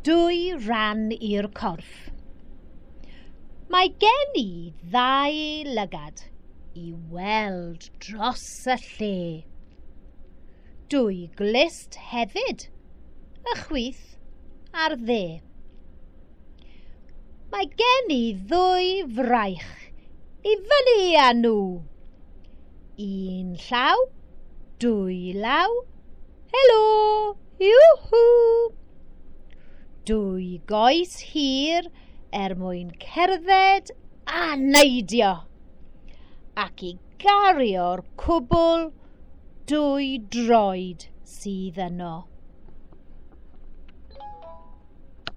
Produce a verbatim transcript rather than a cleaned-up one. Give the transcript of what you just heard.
Dwy ran i'r corff. Mae gen i ddau lygad i weld dros y lle. Dwy glust hefyd, y chwith a'r dde. Mae gen i ddwy fraich i fyny â nhw. Un llaw, dwy law, helo, iwhw. Dwy goes hir er mwyn cerdded a neidio, ac i gario'r cwbl dwy droed sydd yno.